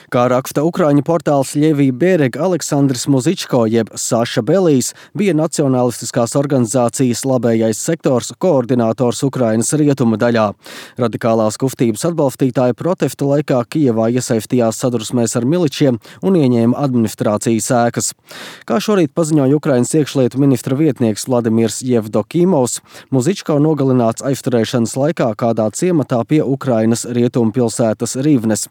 Kā raksta ukraiņu portāls Ļevija Berega, Aleksandrs Muzičko jeb Saša Belijs bija nacionalistiskās organizācijas Labējais sektors koordinators Ukrainas rietumu daļā. Radikālās kustības atbalstītāji protesta laikā Kijevā iesaistījās sadurksmēs ar miličiem un ieņēma administrācijas ēkas. Kā šorīt paziņoja Ukrainas iekšlietu ministra vietnieks Vladimirs Jevdokimovs, Muzičko nogalināts aizturēšanas laikā kādā ciematā pie Ukrainas rietumu pilsētas Rivnes.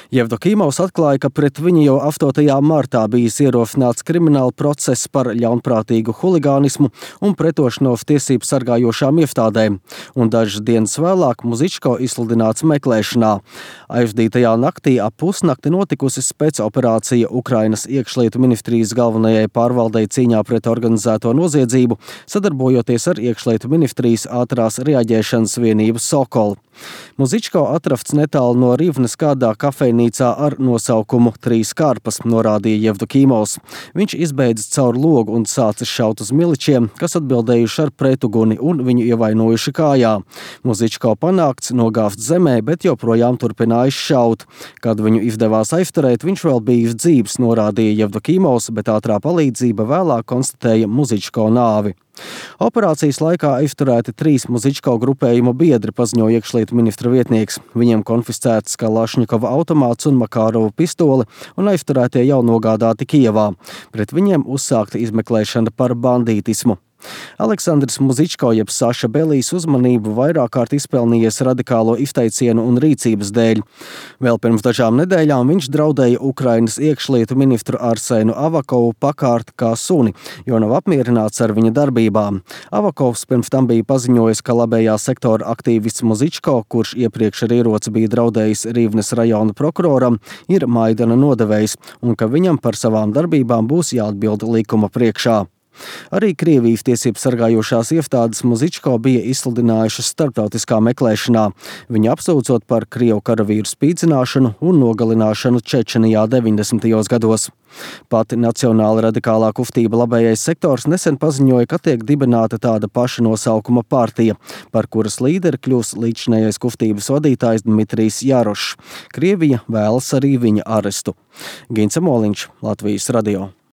Jevdokimovs atklāja, ka pret viņu jau 8. martā bijis ierosināts krimināla process par ļaunprātīgu huligānismu un pretošanos tiesību sargājošām iestādēm, un dažas dienas vēlāk Muzičko izsludināts meklēšanā. Aizdītajā naktī ap pusnakti notikusi spēcoperācija Ukrainas iekšlietu ministrijas galvenajai pārvaldei cīņā pret organizēto noziedzību, sadarbojoties ar iekšlietu ministrijas ātrās reaģēšanas vienību Sokol. Muzičko atrasts netālu no Rivnes kādā kafejnīcā ar nosaukumu Trīs karpas, norādīja Jevdokimovs. Viņš izbeidzis caur logu un sācis šaut uz miličiem, kas atbildējuši ar pretuguni un viņu ievainojuši kājā. Muzičko panākts nogāzt zemē, bet joprojām turpinājis šaut. Kad viņu izdevās aizturēt, viņš vēl bijis dzīvs, norādīja Jevdokimovs, bet ātrā palīdzība vēlāk konstatēja Muzičko nāvi. Operācijas laikā aizturēti 3 Muzičko grupējuma biedri, paziņoja iekšlietu ministra vietnieks. Viņiem konfiscēts Kalašņikova automāts un Makārova pistole, un aizturētie jau nogādāti Kijevā. Pret viņiem uzsākta izmeklēšana par bandītismu. Aleksandrs Muzičko jeb Saša Belijs uzmanību vairāk kārt izpelnījies radikālo izteicienu un rīcības dēļ. Vēl pirms dažām nedēļām viņš draudēja Ukrainas iekšlietu ministru Arsēnu Avakovu pakārt kā suni, jo nav apmierināts ar viņa darbībām. Avakovs pirms tam bija paziņojis, ka labējā sektora aktīvists Muzičko, kurš iepriekš ar ieroci bija draudējis Rivnes rajona prokuroram, ir Maidana nodevējs un ka viņam par savām darbībām būs jāatbild likuma priekšā. Arī Krievijas tiesību sargājošās iestādes Muzičko bija izsludinājušas starptautiskā meklēšanā, viņu apsūdzot par krievu karavīru spīdzināšanu un nogalināšanu Čečenijā 90. gados. Pati nacionāla radikālā kustība Labējais sektors nesen paziņoja, ka tiek dibināta tāda paša nosaukuma partija, par kuras līderi kļūs līdzinējais kustības vadītājs Dmitrijs Jarošs. Krievija vēlas arī viņa arestu. Gince Moliņš, Latvijas radio.